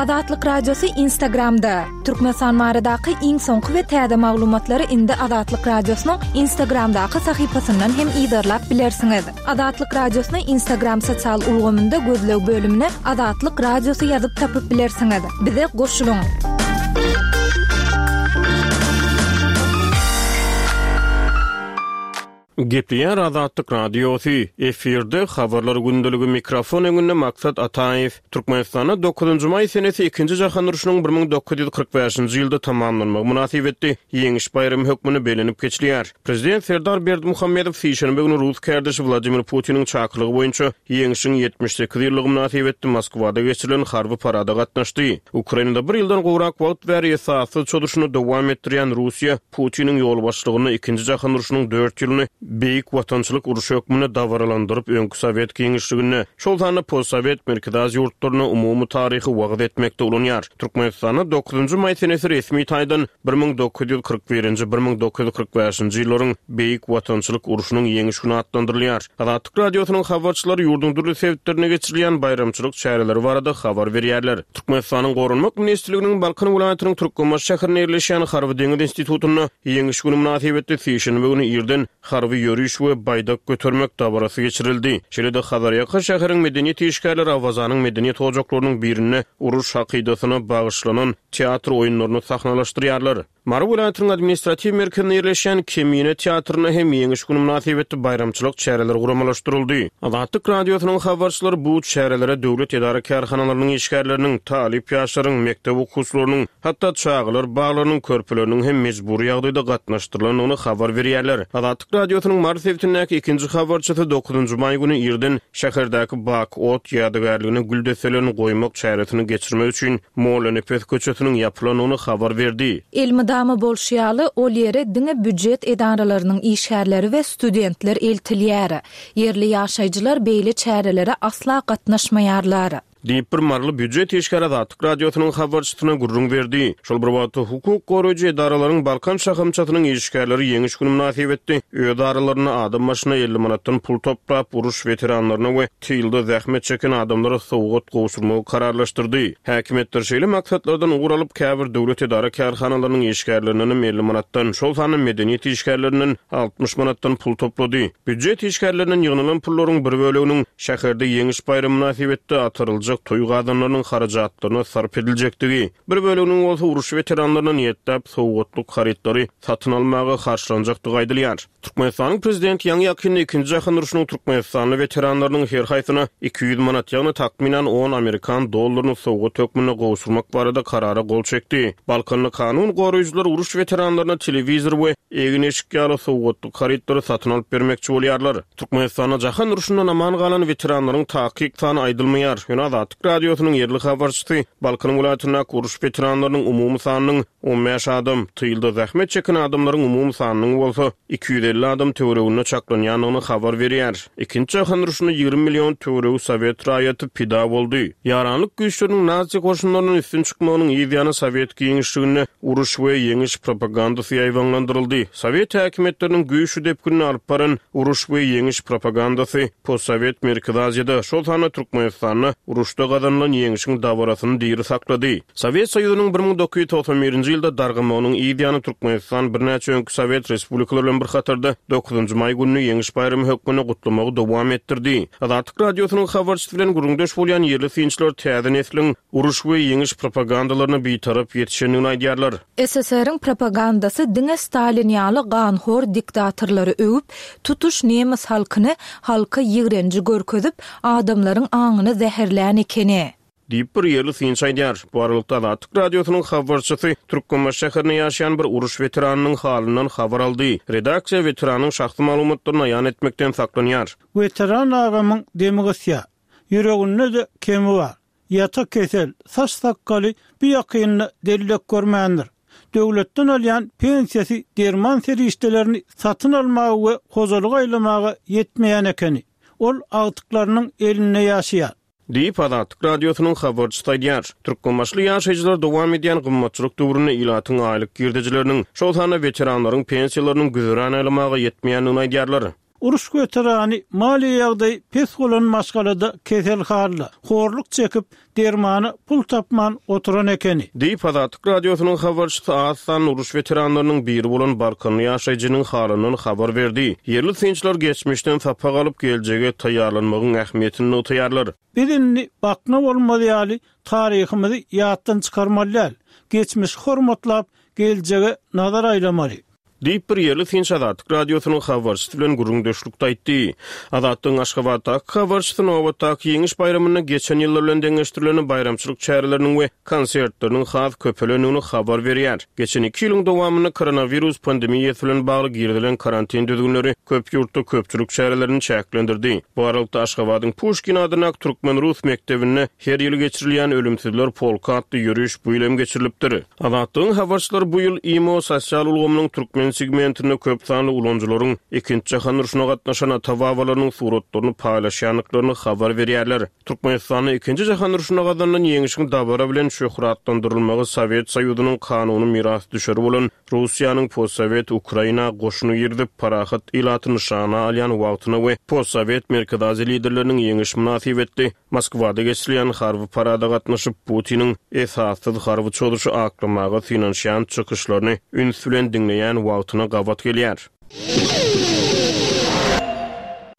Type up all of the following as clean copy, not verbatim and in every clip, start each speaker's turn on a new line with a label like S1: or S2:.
S1: Azatlyk Radiosy Instagramda. Türkmenistan baradaky iň soňky we täze maglumatlary indi Azatlyk Radiosynyň Instagramdaky sahypasyndan hem yzarlap bilersiňiz. Azatlyk Radiosyny Instagram sosial ulgamynda gözleg bölümine Azatlyk Radiosy ýazyp tapyp bilersiňiz. Bize goşulyň!
S2: Gepleýär Azatlyk Radiosy, efirde Habarlar gündeligi mikrofon öňünde Maksat Ataýew. Türkmenistanda dokuzynjy maý senesi Ikinji jahan urşunyň 1945-nji ýylda tamamlanmagy mynasybetli Ýeňiş baýramy hökmünde bellenip geçilýär. Prezident Serdar Berdimuhamedow sişenbe güni rus kärdeşi Wladimir Putiniň çakylygy boýunça Ýeňşiň 78 ýyllygy mynasybetli Moskwada geçirilen harby parada gatnaşdy. Ukrainada bir ýyldan gowrak wagt bäri esassyz çozuşyny dowam etdirýän Russiýa Putiniň ýolbaşçylygynda Ikinji jahan urşunyň dört ýylyny Beýik Watançylyk urşy hökmünde dabaralandyryp, öňki sowet giňişliginde, şol sanda postsowet Merkezi Aziýa ýurtlarynda umumy taryhy wagyz etmekde ulanýar. Türkmenistanda dokuzynjy maý senesi resmi taýdan 1941-nji, 1945-nji ýyllaryň Beýik Watançylyk urşunyň Ýeňiş güni atlandyrylýar. Azatlyk Radiosynyň habarçylary ýurduň dürli sebitlerinde geçirilýän baýramçylyk çäreleri barada habar berýärler. Türkmenistanyň Goranmak ministrliginiň Balkan welaýatynyň Türkmenbaşy şäherinde ýerleşýän Harby-deňiz institutynda Ýeňiş güni mynasybetli sişenbe güni irden harby ýöriş we baýdak götermek dabarasy geçirildi. Şeýle-de Hazarýaka şäheriň medeniýet işgärleri Awazanyň medeniýet ojaklarynyň birinde uruş hakydasyna bagyşlanan teatr oýunlaryny sahnalaşdyrýarlar. Mary welaýatynyň administratiw merkezinde ýerleşýän Kemine teatrynda hem Ýeňiş güni mynasybetli baýramçylyk çäreleri guramalaşdyryldy. Azatlyk Radiosynyň habarçylary bu çärelere döwlet edara-kärhanalarynyň işgärleriniň, talyp ýaşlaryň, mekdep okuwçylarynyň, hatda çagalar baglarynyň körpeleriniň hem mejbury ýagdaýda gatnaşdyrylandygyny habar berýärler. Azatlyk Radiosynyň Mary sebitindäki ikinji habarçysy dokuzynjy maý güni irden şäherdäki Bak ot ýadygärligine gül desselerini goýmak çäresini geçirmek üçin Mollanepes köçesiniň ýapylandygyny habar berdi.
S1: Elmydama bolşy ýaly, ol ýere diňe býujet edaralarynyň işgärleri we studentler eltilýär. Ýerli ýaşaýjylar beýle çärelere asla gatnaşmaýarlar.
S2: Diýip, bir maryly býujet işgäri Azatlyk Radiosynyň habarçysyna gürrüň berdi. Şol bir wagtda, hukuk goraýjy edaralaryň Balkan şahamçasynyň işgärleri Ýeňiş güni mynasybetli öz aralarynda adam başyna 50 manatdan pul toplap, uruş weteranlaryna we tylda zähmet çeken adamlara sowgat gowşurmagy kararlaşdyrdy. Häkimiýetler şeýle maksatlardan ugur alyp, käbir döwlet edara-kärhanalarynyň işgärlerindenem 50 manatdan, şol sanda medeniýet işgärlerinden 60 manatdan pul toplady. Býujet işgärlerinden ýygnalan pullaryň bir böleginiň şäherde Ýeňiş baýramy mynasybetli ataryljak toý gazanlarynyň harajatlaryna sarp ediljekdigi, bir böleginiň bolsa uruş weteranlaryna niýetläp sowgatlyk harytlary satyn almaga harçlanjakdygy aýdylýar. Türkmenistanyň Prezidenti ýaňy-ýakynda Ikinji jahan urşunyň türkmenistanly weteranlarynyň her haýsyna 200 manat, ýagny takmynan on amerikan dollaryny sowgat hökmünde gowşurmak barada karara gol çekdi. Balkanly kanun goraýjylar uruş weteranlaryna telewizor we egin-eşik ýaly sowgatlyk harytlary satyn alyp bermekçi bolýarlar. Türkmenistanda jahan urşundan aman galan weteranlaryň takyk sany aýdylmaýar. Ýöne Azatlyk Radiosynyň ýerli habarçysy Balkan welaýatyndaky uruş weteranlarynyň umumy sanynyň 15 adam, tylda zähmet çeken adamlaryň umumy sanynyň bolsa 250 adam töwereginde çaklanýandygyny habar berýär. Ikinji jahan urşunda 20 million töweregi sowet raýaty pida boldy. Ýaranlyk güýçleriniň nazi goşunlaryndan üstün çykmagynyň yz ýany sowet giňişliginde uruş we ýeňiş propagandasy ýaýbaňlandyryldy. Sowet häkimiýetleriniň güýçli depginde alyp baran uruş we ýeňiş propagandasy postsowet Merkezi Aziýada, şol sanda Türkmenistanda uruşda gazanylan ýeňşiň dabarasyny diri saklady. Sowet Soýuzynyň 1991-nji ýylda dargamagynyň yz ýany Türkmenistan birnäçe öňki sowet respublikalary bilen bir hatarda dokuzynjy maý gününi Ýeňiş baýramy hökmünde gutlamagy dowam etdirdi. Azatlyk Radiosynyň habarçysy bilen gürrüňdeş bolýan ýerli synçylar täze nesliň uruş we ýeňiş propagandalaryna bitarap ýetişendigini aýdýarlar.
S1: SSR-iň propagandasy diňe Stalin ýaly ganhor diktatorlary öwüp, tutuş nemes halkyny halka ýigrenji görkezip, adamlaryň aňyny zäherlän ekeni.
S2: Diýip, bir ýerli synçy aýdýar. Bu aralykda, Azatlyk Radiosynyň habarçysy Türkmenbaşy şäherinde ýaşaýan bir uruş weteranynyň halyndan habar aldy. Redaksiýa weteranyň şahsy maglumatlaryny aýan etmekden saklanýar.
S3: Weteran agamyň demi gysýar. Ýüreginde-de kemi bar. Ýata kesel, saç-sakgaly bu ýakynda dellek görmändir. Döwletden alýan pensiýasy derman serişdelerini satyn almaga we hojalyk aýlamaga ýetmeýän ekeni. Ol agtyklarynyň elinde ýaşaýar.
S2: Diýip, Azatlyk Radiosynyň habarçysy aýdýar. Türkmenbaşyly ýaşaýjylar dowam edýän gymmatçylyk döwründe ilatyň aýlyk girdejileriniň, şol sanda weteranlaryň pensiýalarynyň güzeran aýlamaga ýetmeýändigini aýdýarlar.
S3: Uruş weterany maliýe ýagdaýy pes bolan maşgalada keselhanda, horluk çekip, dermana pul tapman oturan ekeni.
S2: Diýip, Azatlyk Radiosynyň habarçysy az sanly uruş weteranlarynyň biri bolan balkanly ýaşaýjynyň halyndan habar berdi. Ýerli synçylar geçmişden sapak alyp, geljege taýýarlanmagyň ähmiýetini nygtaýarlar.
S3: Biz indi bakna bolmaz ýaly taryhymyzy ýatdan çykarmaly däl, geçmişi hormatlap, geljege nazar aýlamaly.
S2: Diýip, bir ýerli synçy Azatlyk Radiosynyň habarçysy bilen gürrüňdeşlikde aýtdy. Azatlygyň Aşgabatdaky habarçysy nobatdaky Ýeňiş baýramynda geçen ýyllar bilen deňeşdirilende baýramçylyk çäreleriniň we konsertleriniň has köpelendigini habar berýär. Geçen iki ýylyň dowamynda koronawirus pandemiýasy bilen bagly girizilen karantin düzgünleri köp ýurtda köpçülik çärelerini çäklendirdi. Bu aralykda, Aşgabadyň Puşkin adyndaky türkmen-rus mekdebinde her ýyl geçirilýän Ölümsizler polky atly ýöriş bu ýyl hem geçirilipdir. Azatlygyň habarçylary bu ýyl imo sosial ulgamynyň türkmen segmentinde köp sanly ulanyjylaryň Ikinji jahan urşuna gatnaşan ata-babalarynyň suratlaryny paýlaşýandyklaryny habar berýärler. Türkmenistanda Ikinji jahan urşunda gazanylan ýeňşiň dabara bilen şöhratlandyrylmagy Sowet Soýuzynyň kanuny mirasdüşeri bolan Russiýanyň postsowet Ukraina goşuny girizip, parahat ilaty nyşana alýan wagtyna we postsowet Merkezi Aziýa liderleriniň ýeňiş mynasybetli Moskwada geçirilýän harby parada gatnaşyp, Putiniň esassyz harby çozuşy aklamaga synanyşýan çykyşlaryny üns bilen diňleýän wagtyna gabat gelýär.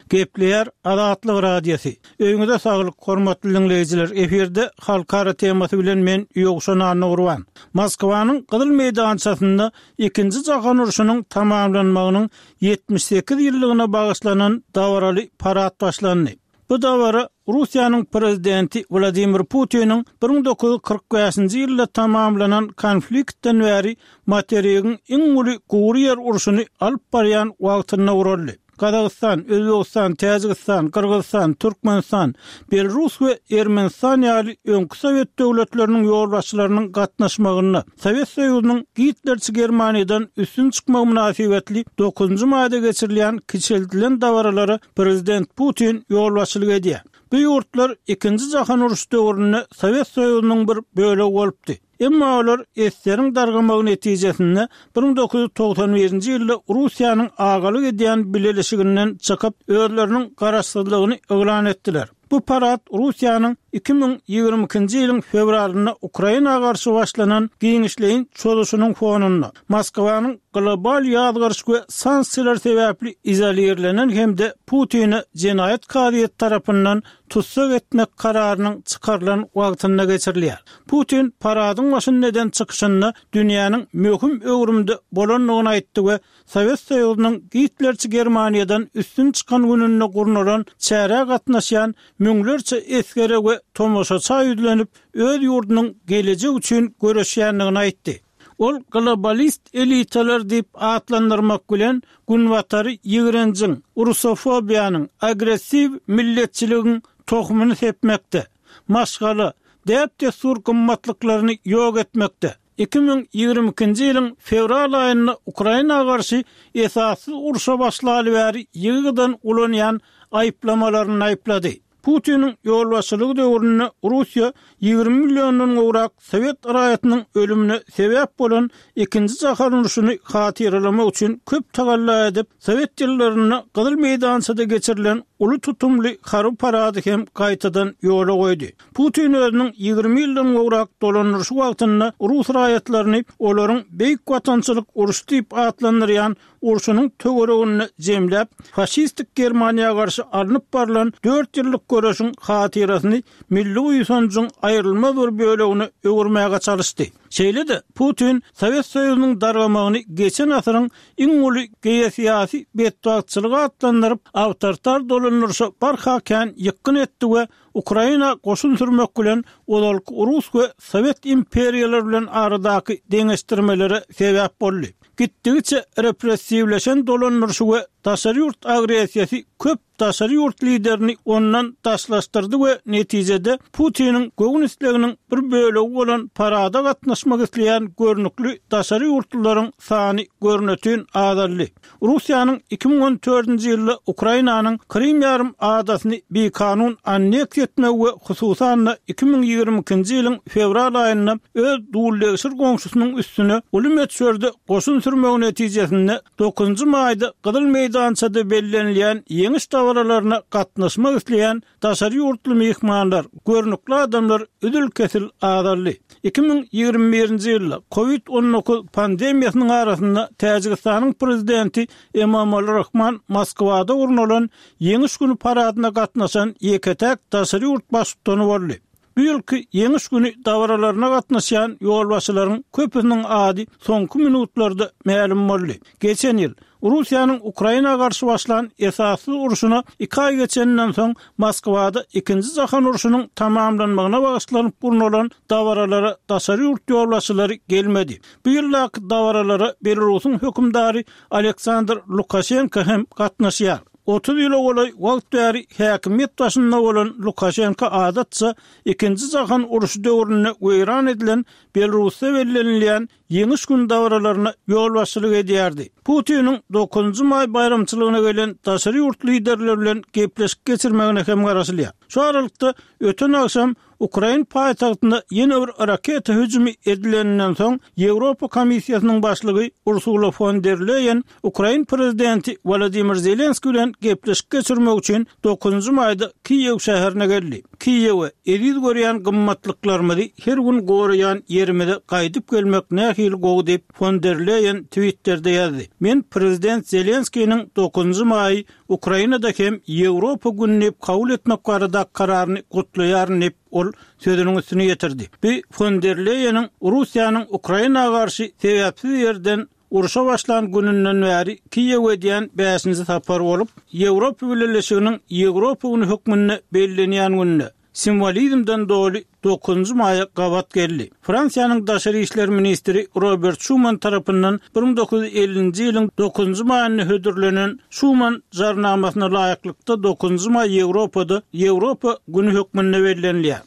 S3: Gepleýär Azatlyk Radiosy. Öýüňize saglyk, hormatly diňleýjiler! Efirde Halkara temasy bilen men Ýowşan Annagurban. Moskwanyň Gyzyl meýdançasynda Ikinji jahan urşunyň tamamlanmagynyň 78 ýyllygyna bagyşlanan dabaraly parad başlandy. Bu dabara Russiýanyň Prezidenti Wladimir Putiniň 1945-nji ýylda tamamlanan konfliktden bäri materigiň iň uly gury ýer urşuny alyp barýan wagtynda guraldy. Gazagystan, Özbegistan, Täjigistan, Gyrgyzystan, Türkmenistan, Belarus we Ermenistan ýaly öňki sowet döwletleriniň ýolbaşçylarynyň gatnaşmagynda Sowet Soýuzynyň gitlerçi Germaniýadan üstün çykmagy mynasybetli dokuzynjy maýda geçirilýän kiçeldilen dabaralara prezident Putin ýolbaşçylyk edýär. Bu ýurtlar Ikinji jahan urşy döwründe Sowet Soýuzynyň bir bölegi bolupdy. Emma olar ssr-iň dargamagy netijesinde 1991-nji ýylda Russiýanyň agalyk edýän bileleşiginden çykyp, özleriniň garaşsyzlygyny yglan etdiler. Bu parad Russiýanyň 2022-nji ýylyň fewralynda Ukraina garşy başlanan giňişleýin çozuşynyň fonunda, Moskwanyň global ýazgaryş we sanksiýalar sebäpli izolirlenen hem-de Putini jenaýat kazyýeti tarapyndan tussag etmek kararynyň çykarylan wagtynda geçirilýär. Putin paradyň başynda eden çykyşynda dünýäniň möhüm öwrümde bolandygyny aýtdy we Sowet Soýuzynyň gitlerçi Germaniýadan üstün çykan gününde gurnalan çärä gatnaşýan müňlerçe esgere we tomaşaça ýüzlenip, öz ýurdunyň gelejek üçin göreşýändigini aýtdy. Ol globalist elitalar diýip atlandyrmak bilen, Günbatary ýigrenjiň, rusofobiýanyň, agressiw milletçiligiň tohumyny sepmekde, maşgala, däp-dessur gymmatlyklaryny ýok etmekde, 2022-nji ýylyň fewral aýynda Ukraina garşy esassyz urşa başlaly bäri ýygy-ýygydan ulanýan aýyplamalaryny aýyplady. Putiniň ýolbaşçylygy döwründe Russiýa 20 milliondan gowrak sowet raýatynyň ölümine sebäp bolan Ikinji jahan urşuny hatyralamak üçin köp tagalla edip, sowet ýyllarynda Gyzyl meýdançada geçirilen uly tutumly harby parady hem gaýtadan ýola goýdy. Putin özüniň 20 ýyldan gowrak dolandyryşy wagtynda rus raýatlaryny olaryň Beýik Watançylyk urşy diýip atlandyrýan urşunyň töwereginde jemläp, faşistik Germaniýa garşy alnyp barlan dört ýyllyk göreşiň hatyrasyny milli buýsanjyň aýrylmaz bir bölegine öwürmäge çalyşdy. Şeýle-de, Putin Sowet Soýuzynyň dargamagyny geçen asyryň iň uly geosyýasy betbagtçylygy atlandyryp, awtoritar dolandyryşa barha kän ýykgyn etdi we Ukraina goşun sürmek bilen ozalky rus we sowet imperiýalary bilen aradaky deňeşdirmelere sebäp boldy. Gitdigiçe repressiwleşen dolandyryşy we daşary ýurt agressiýasy köp daşary ýurt liderini ondan daşlaşdyrdy we netijede Putiniň göwün isleginiň bir bölegi bolan parada gatnaşmak isleýän görnükli daşary ýurtlularyň sany görnetin azaldy. Russiýanyň 2014-nji ýylda Ukrainanyň Krym ýarym adasyny bikanun anneksiýa etmegi we hususan-da 2022-nji ýylyň fewral aýynda öz duldegsir goňşusynyň üstüne uly möçberde goşun sürmegi netijesinde dokuzynjy maýda Gyzyl meýdan. meýdançada bellenilýän Ýeňiş dabaralaryna gatnaşmak isleýän daşary ýurtly myhmanlar, görnükli adamlar üzül-kesil azaldy. 2021-nji ýylda Covid 19 pandemiýasynyň arasynda Täjigistanyň prezidenti Emomali Rahman Moskwada gurnalan Ýeňiş güni paradyna gatnaşan ýeke-täk daşary ýurt baştutany boldy. Bu ýylky Ýeňiş güni dabaralaryna gatnaşýan ýolbaşçylaryň köpüsiniň ady soňky minutlarda mälim boldy. Geçen ýyl, Russiýanyň Ukraina garşy başlan esassyz urşuna iki aý geçeninden soň Moskwada Ikinji jahan urşunyň tamamlanmagyna bagyşlanyp gurnalan dabaralara daşary ýurt ýolbaşçylary gelmedi. Bu ýyldaky dabaralara Belarusyň hökümdary Aleksandr Lukaşenko hem gatnaşýar. 30 ýyla golaý wagt bäri häkimiýet başynda bolan Lukaşenko adatça Ikinji jahan urşy döwründe weýran edilen Belarusda bellenilýän Ýeňiş güni dabaralaryna ýolbaşçylyk edýärdi. Putiniň dokuzynjy maý baýramçylygyna gelen daşary ýurt liderleri bilen gepleşik geçirmegine hem garaşylýar. Şu aralykda, öten agşam Ukrain paýtagtynda ýene bir raketa hüjümi edileninden soň, Ýewropa Komissiýasynyň başlygy Ursula fon der Leýen ukrain prezidenti Wolodymyr Zelenskiý bilen gepleşik geçirmek üçin dokuzynjy maýda Kiýew şäherine geldi. Kiýewe, eziz görýän gymmatlyklarymyzy her gün goraýan ýerimize gaýdyp gelmek nähili gowy diýip, fon der Leýen Twitterde ýazdy. Men prezident Zelenskiniň dokuzynjy maýy Ukrainada hem Ýewropa güni diýip kabul etmek baradaky kararyny gutlaýaryn diýip, ol sözüniň üstüni ýetirdi. Bu fon der Leýeniň Russiýanyň Ukraina garşy sebäpsiz ýerden urşa başlan gününden bäri Kiýewe edýän bäşinji sapary bolup, Ýewropa Bileleşiginiň Ýewropa güni hökmünde bellenýän günde, simwolizmden doly dokuzynjy maýa gabat geldi. Fransiýanyň daşary işler ministri Robert Şuman tarapyndan 1950-nji ýylyň dokuzynjy maýynda hödürlenen Şuman jarnamasyna laýyklykda dokuzynjy maý Ýewropada Ýewropa güni hökmünde bellenilýär.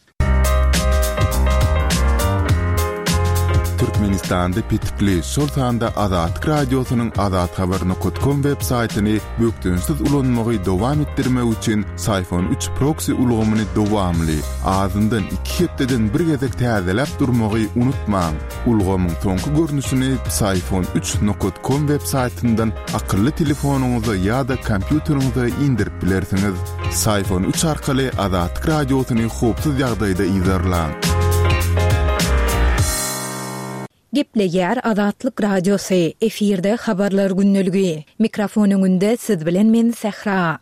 S4: Türkmenistanda petikli, şol sanda Azatlyk Radiosynyň azathabar nokat kom web saýtyny bökdençsiz ulanmagy dowam etdirmek üçin Syfon üç proksi ulgamyny dowamly, azyndan iki hepdeden bir gezek täzeläp durmagy unutmaň. Ulgamyň soňky görnüşini Psiphon üç nokat kom web saýtyndan akylly telefonyňyza ýa-da kompýuteriňize indirip bilersiňiz. Syfon üç arkaly Azatlyk Radiosyny howpsuz ýagdaýda yzarlaň.
S1: Gepleýär Azatlyk Radiosy, efirde Habarlar gündeligi. Mikrofon öňünde siz bilen men Sähra.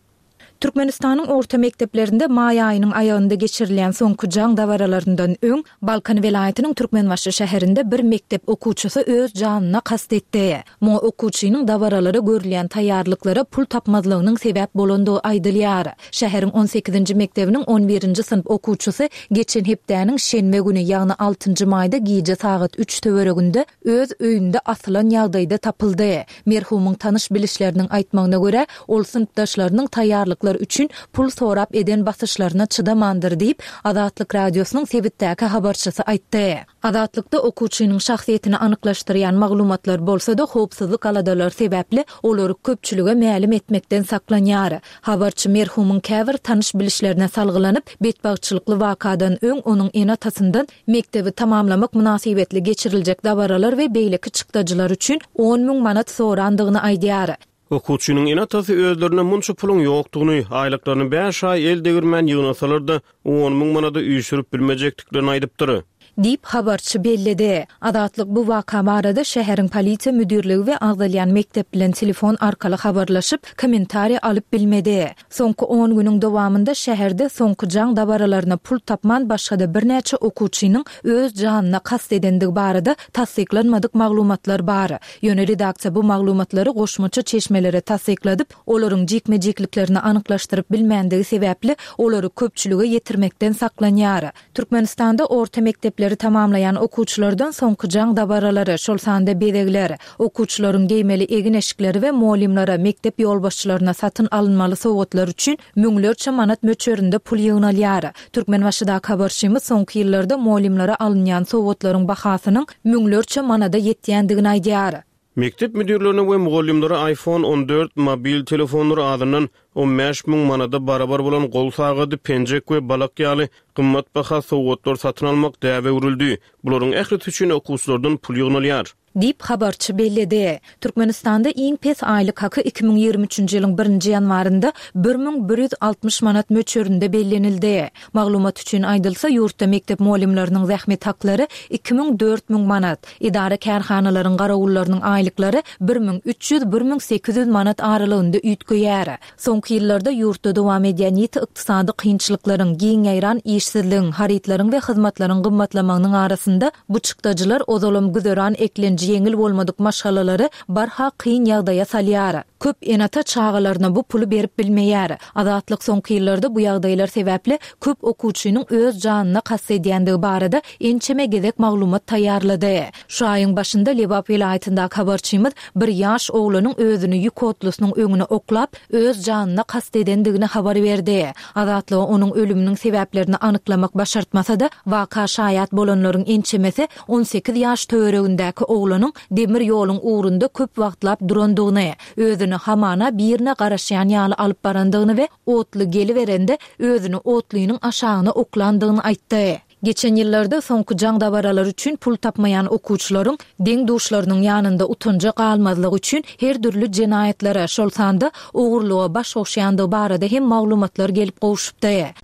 S1: Türkmenistanyň orta mekdeplerinde maý aýynyň aýagynda geçirilýän soňky jaň dabaralaryndan öň, Balkan welaýatynyň Türkmenbaşy şäherinde bir mekdep okuwçysy öz janyna kast etdi. Muňa okuwçynyň dabaralara görülýän taýýarlyklara pul tapmazlygynyň sebäp bolandygy aýdylýar. Şäheriň on sekizinji mekdebiniň on birinji synp okuwçysy geçen hepdäniň şenbe güni, ýagny altynjy maýda gije sagat üç töwereginde öz öýünde asylan ýagdaýda tapyldy. Merhumyň tanyş-bilişleriniň aýtmagyna görä, ol synpdaşlarynyň taýýarlyklar üçin pul sorap eden basyşlaryna çydamandyr diýip, Azatlyk Radiosynyň sebitdäki habarçysy aýtdy. Azatlykda okuwçynyň şahsyýetini anyklaşdyrýan maglumatlar bolsa-da, howpsuzlyk aladalary sebäpli olary köpçülige mälim etmekden saklanýar. Habarçy merhumyň käbir tanyş-bilişlerine salgylanyp, betbagtçylykly wakadan öň onuň ene-atasyndan mekdebi tamamlamak mynasybetli geçiriljek dabaralar we beýleki çykdajylar üçin 10 müň manat sorandygyny aýdýar.
S2: Okuwçynyň ene-atasy özlerinde munça puluň ýokdugyny, aýlyklaryny bäş aý el degirmän ýygnasalar-da, 10 müň manady üýşürip bilmejekdiklerini aýdypdyr.
S1: Diýip, habarçy belledi. Azatlyk bu waka barada şäheriň polisiýa müdirligi we agzalýan mekdep bilen telefon arkaly habarlaşyp, kommentariý alyp bilmedi. Soňky on günüň dowamynda şäherde soňky jaň dabaralaryna pul tapman başga-da birnäçe okuwçynyň öz janyna kast edendigi barada tassyklanmadyk maglumatlar bar. Ýöne redaksiýa bu maglumatlary goşmaça çeşmelere tassykladyp, olaryň jikme-jikliklerini anyklaşdyryp bilmändigi sebäpli, olary köpçülige ýetirmekden saklanýar. Türkmenistanda orta mekdepleri tamamlaýan okuwçylardan soňky jaň dabaralary, şol sanda bezegler, okuwçylaryň geýmeli egin-eşikleri we mugallymlara, mekdep ýolbaşçylaryna satyn alynmaly sowgatlar üçin müňlerçe manat möçberinde pul ýygnalýar. Türkmenbaşydaky habarçymyz soňky ýyllarda mugallymlara alynýan sowgatlaryň bahasynyň müňlerçe manada ýetýändigini aýdýar.
S2: Mekdep müdirlerine we mugallymlara iPhone 14 mobil telefonlary azyndan 15 müň manada barabar bolan gol sagady, penjek we balak ýaly gymmatbaha sowgatlar satyn almak däbe öwrüldi. Bularyň ählisi üçin okuwçylardan pul ýygnalýar.
S1: Diýip, habarçy belledi. Türkmenistanda iň pes aýlyk haky 2023-nji ýylyň birinji ýanwarynda 1160 manat möçberinde bellenildi. Maglumat üçin aýdylsa, ýurtda mekdep mugallymlarynyň zähmet haklary 2000-4000 manat, edara-kärhanalaryň garawullarynyň aýlyklary 1300-1800 manat aralygynda üýtgeýär. Soňky ýyllarda ýurtda dowam edýän ýiti ykdysady kynçylyklaryň, giň ýaýran işsizligiň, harytlaryň we hyzmatlaryň gymmatlamagynyň arasynda bu çykdajylar ozalam güzeran eklenji ýeňil bolmadyk maşgalalary barha kyn ýagdaýa salýar. Köp ene-ata çagalaryna bu puly berip bilmeýär. Azatlyk soňky ýyllarda bu ýagdaýlar sebäpli köp okuwçynyň öz janyna kast edýändigi barada ençeme gezek maglumat taýýarlady. Şu aýyň başynda Lebap welaýatyndaky habarçymyz bir ýaş oglanyň özüni ýük otlusynyň öňüne oklap, öz janyna kast edendigini habar berdi. Azatlyga onuň ölüminiň sebäplerini anyklamak başartmasa-da, waka şaýat bolanlaryň ençemesi 18 ýaş töweregindäki oglanyň demir ýoluň ugrunda köp wagtlap durandygyny, özüni hamana birine garaşýan ýaly alyp barandygyny we otly geliberende özüni otlynyň aşagyna oklandygyny aýtdy. Geçen ýyllarda soňky jaň dabaralary üçin pul tapmaýan okuwçylaryň deň-duşlarynyň ýanynda utanja galmazlygy üçin her dürli jenaýatlara, şol sanda ogurlyga baş goşýandygy barada hem maglumatlar gelip gowşupdy.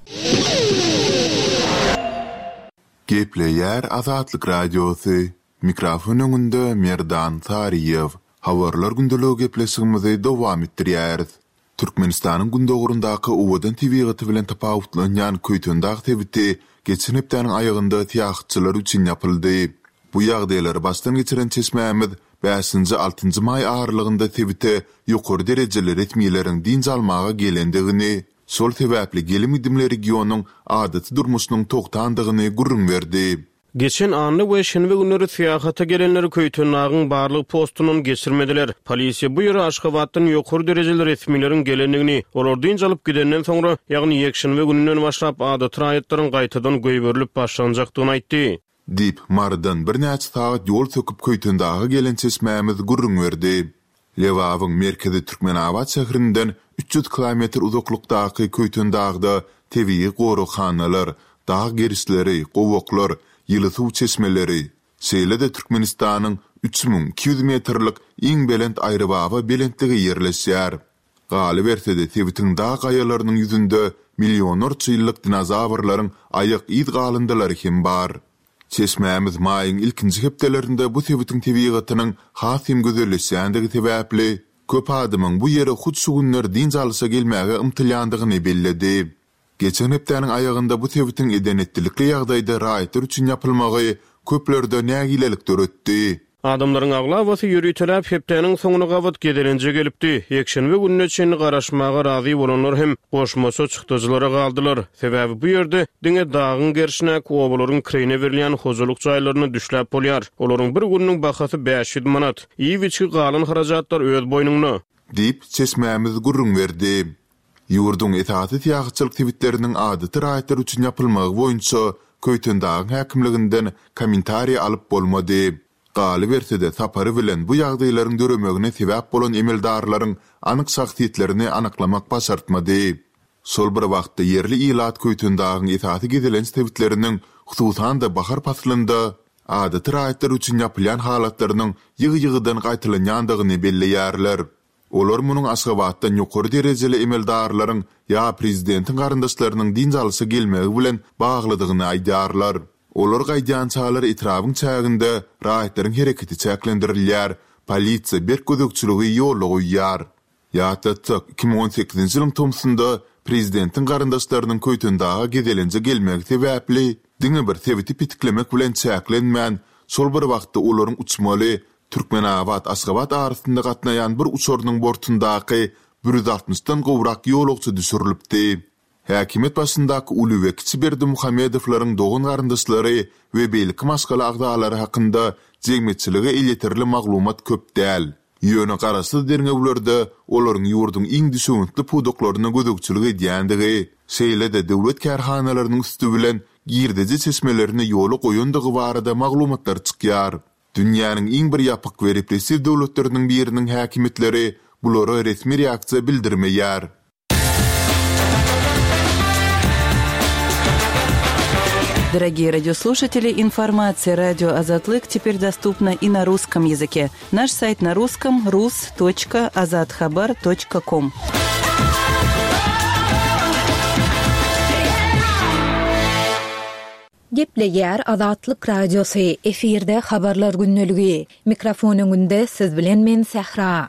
S4: Gepleýär Azatlyk Radiosy, Mikrofon öňünde Merdan Saryýew. Habarlar gündeligi gepleşigimizi dowam etdirýäris. Türkmenistanyň gündogaryndaky owadan tebigaty bilen tapawutlanýan Köýtendag sebiti geçen hepdäniň aýagynda syýahatçylar üçin ýapyldy. Bu ýagdaýlary başdan geçiren çeşmämiz bäşinji-altynjy maý aralygynda sebite ýokary derejeli resmileriň dynç almaga gelendigini, şol sebäpli gelim-gidimli regionyň adaty durmuşynyň togtandygyny gürrüň berdi.
S2: Geçen anna we şenbe günleri syýahata gelenleri Köýtendagyň barlag postundan geçirmediler. Polisiýa bu ýere Aşgabatdan ýokary derejeli resmileriň gelendigini, olar dynç alyp gidenden soňra, ýagny ýekşenbe gününden başlap adaty raýatlaryň gaýtadan goýberilip başlanjakdygyny aýtdy.
S4: Diýip, Marydan birnäçe sagat ýol söküp Köýtendaga gelen çeşmämiz gürrüň berdi. Lebabyň merkezi Türkmenabat şäherinden 300 kilometr uzaklykdaky Köýtendagda tebigy goraghanalar, dag gerişleri, gowaklar, ýyly suw çeşmeleri, şeýle-de Türkmenistanyň 3200 metrlik iň belent Aýrybaba belentligi ýerleşýär. Galyberse-de, sebitiň dag gaýalarynyň ýüzünde millionlarça ýyllyk dinozawrlaryň aýak yz galyndylary hem bar. Çeşmämiz maýyň ilkinji hepdelerinde bu sebitiň tebigatynyň has hem gözelleşýändigi sebäpli, köp adamyň bu ýere hut şu günler dynç alyşa gelmäge ymtylýandygyny belledi. Geçen hepdäniň aýagynda bu sebitiň eden-etdilikli ýagdaýda raýatlar üçin ýapylmagy köplerde nägilelik döretdi.
S2: Adamlaryň aglabasy ýöriteläp hepdäniň soňuna gabat gezelenje gelipdi. Ýekşenbe gününe çenli garaşmaga razy bolanlar hem goşmaça çykdajylara galdylar. Sebäbi bu ýerde diňe dagyň gerşindäki obalaryň kireýine berilýän hojalyk jaýlarynda düşläp bolýar. Olaryň bir gününiň bahasy 500 manat. Iýip-içgi galan harajatlar öz boýnuňda.
S4: Diýip, çeşmämiz gürrüň berdi. Ýurduň esasy syýahatçylyk sebitleriniň adaty raýatlar üçin ýapylmagy boýunça Köýtendagyň häkimliginden kommentariý alyp bolmady. Galyberse-de, sapary bilen bu ýagdaýlaryň döremegine sebäp bolan emeldarlaryň anyk şahsyýetlerini anyklamak başartmady. Şol bir wagtda, ýerli ilat Köýtendagyň esasy gezelenç sebitleriniň, hususan-da, bahar paslynda adaty raýatlar üçin ýapylýan halatlarynyň ýygy-ýygydan gaýtalanýandygyny belleýärler. Olar munuň Aşgabatdan ýokary derejeli emeldarlaryň ýa prezidentiň garyndaşlarynyň dynç alyşa gelmegi bilen baglydygyny aýdýarlar. Olar gaýdýançalar etrabyň çäginde raýatlaryň hereketi çäklendirilýär, polisiýa berk gözegçiligi ýola goýýar. Ýatlatsak, 2018-nji ýylyň tomsunda prezidentiň garyndaşlarynyň Köýtendaga gezelenje gelmegi sebäpli, diňe bir sebiti petiklemek bilen çäklenmän, şol bir wagtda olaryň uçmaly Türkmenabat, Aşgabat arasynda gatnaýan bir uçarynyň bortundaky 160-dan gowrak ýolagçy düşürilipdi. Häkimiýet başyndaky uly we kiçi Berdimuhamedowlaryň dogan-garyndaşlary we beýleki maşgala agzalary hakynda jemgyýetçilige elýeterli maglumat köp däl. Ýöne garaşsyz derňewlerde olaryň ýurduň iň düşewüntli pudaklaryna gözegçilik edýändigi, şeýle-de döwlet kärhanalarynyň üsti bilen girdeji çeşmelerini ýola goýandygy barada maglumatlar çykýar. Dünýäniň iň bir ýapyk we repressiw döwletleriniň biriniň häkimiýetleri bulara resmi reaksiýa bildirmeýär.
S5: Дорогие радиослушатели, информация радио Азатлык теперь доступна и на русском языке. Наш сайт на русском rus.azathabar.com.
S1: Gepleýär Azatlyk Radiosy, efirde Habarlar gündeligi. Mikrofon öňünde siz bilen men Sähra.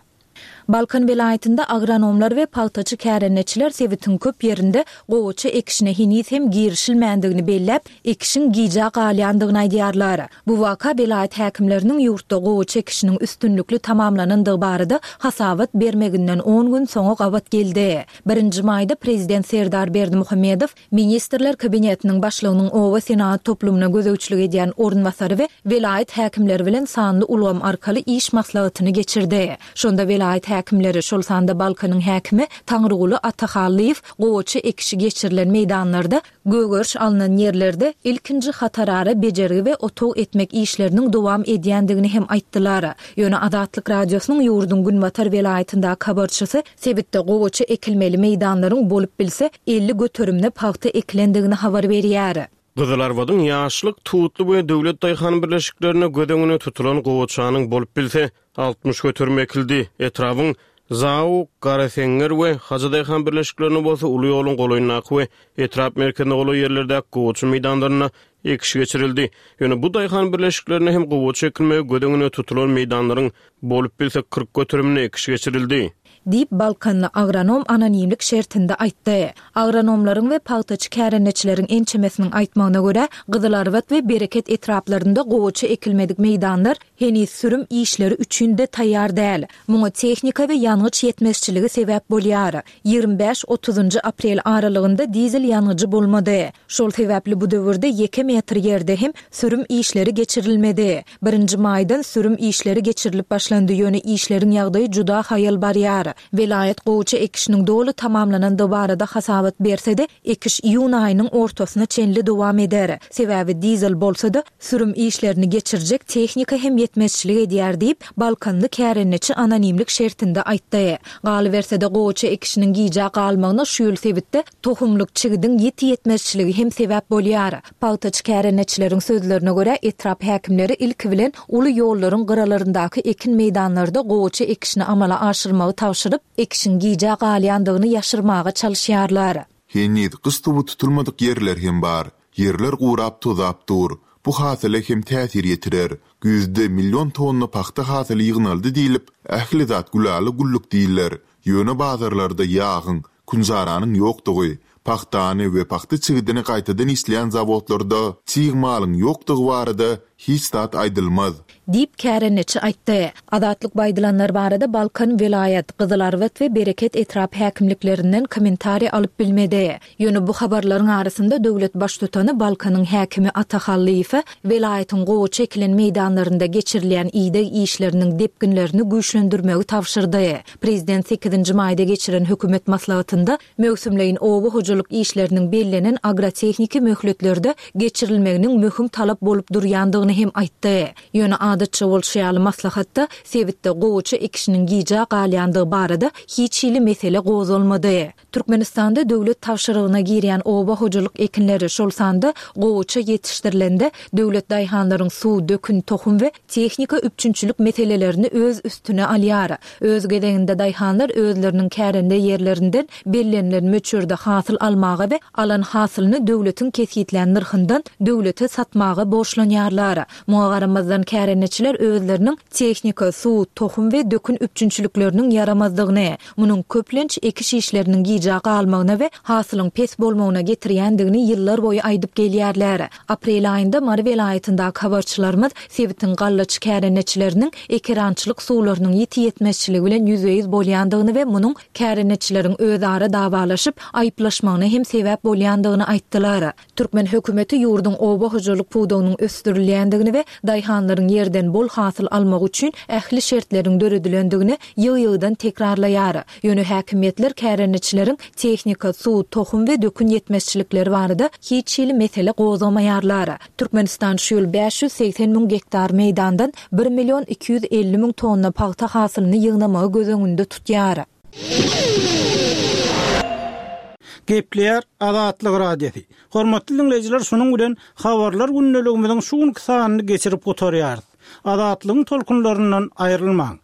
S1: Balkan welaýatynda agronomlar we pagtaçy kärendeçiler sebitiň köp ýerinde gowaça ekişine heniz hem girişilmändigini belläp, ekişiň gijä galýandygyny aýdýarlar. Bu waka welaýat häkimleriniň ýurtda gowaça ekişiniň üstünlikli tamamlanandygy barada hasabat bermeginden on gün soňa gabat geldi. Birinji maýda prezident Serdar Berdimuhamedow Ministrler Kabinetiniň Başlygynyň oba senagat toplumyna gözegçilik edýän orunbasary we welaýat häkimleri bilen sanly ulgam arkaly iş maslahatyny geçirdi. Şonda welaýat häkimleri, şol sanda Balkanyň häkimi Taňryguly Atahallyýew gowaça ekişi geçirilen meýdanlarda, gögeriş alnan ýerlerde ilkinji hatarara bejergi we otag etmek işleriniň dowam edýändigini hem aýtdylar. Ýöne Azatlyk Radiosynyň ýurduň günbatar welaýatyndaky habarçysy Sebitde gowaça ekilmeli meýdanlaryň bolup bilse 50 göterimine pagta ekilendigini habar berýär.
S2: Gyzylarbadyň Ýaşlyk, Tutly we Döwlet daýhan birleşiklerinde göz öňünde tutulan gowaçanyň bolup bilse 60 göterimi ekildi. Etrabyň Zaw, Garaseňňer we Hajy daýhan birleşiklerinde bolsa uly ýoluň golaýyndaky we etrap merkezine golaý ýerlerdäki gowaça meýdanlarynda ekiş geçirildi. Ýöne bu daýhan birleşiklerinde hem gowaça ekilmegi göz öňünde tutulan meýdanlaryň Bolup bilse 40 göterimine ekiş geçirildi.
S1: Diýip, balkanly agronom anonimlik şertinde aýtdy. Agronomlaryň we pagtaçy kärendeçileriň ençemesiniň aýtmagyna görä, Gyzylarbat we Bereket etraplarynda gowaça ekilmedik meýdanlar heniz sürüm işleri üçin-de taýýar däl. Muňa tehnika we ýangyç ýetmezçiligi sebäp bolýar. 25, otuzynjy aprel aralygynda dizel ýangyjy bolmady. Şol sebäpli bu döwürde ýeke metr ýerde hem sürüm işleri geçirilmedi. Birinji maýdan sürüm işleri geçirilip başlandy, ýöne işleriň ýagdaýy juda haýal barýar. Welaýat gowaça ekişiniň doly tamamlanandygy barada hasabat berse-de, ekiş iýun aýynyň ortasyna çenli dowam eder. Sebäbi dizel bolsa-da, sürüm işlerini geçirjek tehnika hem ýetmezçilik edýär diýip, balkanly kärendeçi anonimlik şertinde aýtdy. Galyberse-de, gowaça ekişiniň gijä galmagyna şu ýyl sebitde tohumlyk çigidiň ýiti ýetmezçiligi hem sebäp bolýar. Pagtaçy kärendeçileriň sözlerine görä, etrap häkimleri ilki bilen uly ýollaryň gyralaryndaky ekin meýdanlarda gowaça ekişini amala aşyrmagy tabşyryp, ekişiň gijä galýandygyny ýaşyrmaga çalyşýarlar.
S4: Heniz gyş suwy tutulmadyk ýerler hem bar. Ýerler gurap tozap dur. Bu hasyla hem täsir ýetirer. Güýzde million tonna pagta hasyly ýygnaldy diýlip, ähli zat gülala-güllük diýiler. Ýöne bazarlarda ýagyň, künjaranyň ýokdugy, pagtany we pagta çigidini gaýtadan işleýän zawodlarda çig malyň ýokdugy barada hiç zat aýdylmaz.
S1: Diýip, kärendeçi aýtdy. Azatlyk bu aýdylanlar barada Balkan welaýat, Gyzylarbat we Bereket etrap häkimliklerinden kommentariý alyp bilmedi. Ýöne bu habarlaryň arasynda döwlet baştutany Balkanyň häkimi Ata Hallyýewe welaýatyň gowaça ekilen meýdanlarynda geçirilýän ideg işleriniň depginlerini güýçlendirmegi tabşyrdy. Prezident sekizinji maýda geçiren hökümet maslahatynda möwsümleýin oba hojalyk işleriniň bellenen agrotehniki möhletlerde geçirilmeginiň möhüm talap bolup durýandygyny hem aýtdy. Ýöne adatça bolşy ýaly maslahatda sebitde gowaça ekişiniň gijä galýandygy barada hiç hili mesele gozgalmady. Türkmenistanda döwlet tabşyrygyna girýän oba hojalyk ekinleri, şol sanda gowaça ýetişdirilende, döwlet daýhanlaryň suw, dökün, tohum we tehnika üpjünçilik meselelerini öz üstüne alýar. Öz gezeginde daýhanlar özleriniň kärende ýerlerinden bellenilen möçberde hasyl almaga we alan hasylyny döwletiň kesgitlän nyrhyndan döwlete satmaga borçlanýarlar. Muňa garamazdan kärendeçiler özleriniň tehnika, suw, tohum we dökün üpjünçilikleriniň ýaramazdygyny, Munuň köplenç ekiş işleriniň gijä galmagyna we hasylyň pes bolmagyna getirýändigini ýyllar boýy aýdyp gelýärler. Aprel aýynda Mary welaýatyndaky habarçylarymyz sebitiň gallaçy kärendeçileriniň ekerançylyk suwlarynyň ýiti ýetmezçiligi bilen ýüzbe-ýüz bolýandygyny we munuň kärendeçileriň özara dawalaşyp, aýyplaşmagyna hem sebäp bolýandygyny aýtdylar. Türkmen hökümeti ýurduň oba hojalyk pudagynyň ösdürilýändigini we daýhanlaryň ýerden bol hasyl almagy üçin ähli şertleriň döredilendigini ýygy-ýygydan tekrarlaýar. Ýöne häkimiýetler kärendeçileriň tehnika, suw, tohum we dökün ýetmezçilikleri barada hiç hili mesele gozgamaýarlar. Türkmenistan şu ýyl 580 müň gektar meýdandan bir million 250 müň tonna pagta hasylyny ýygnamagy göz öňünde tutýar.
S3: Gepleýär Azatlyk Radiosy. Hormatly diňleýjiler şunuň bilen Habarlar gündeligimiziň şu günki sanyny geçirip gutarýarys. Azatlygyň tolkunlaryndan aýrylmaň.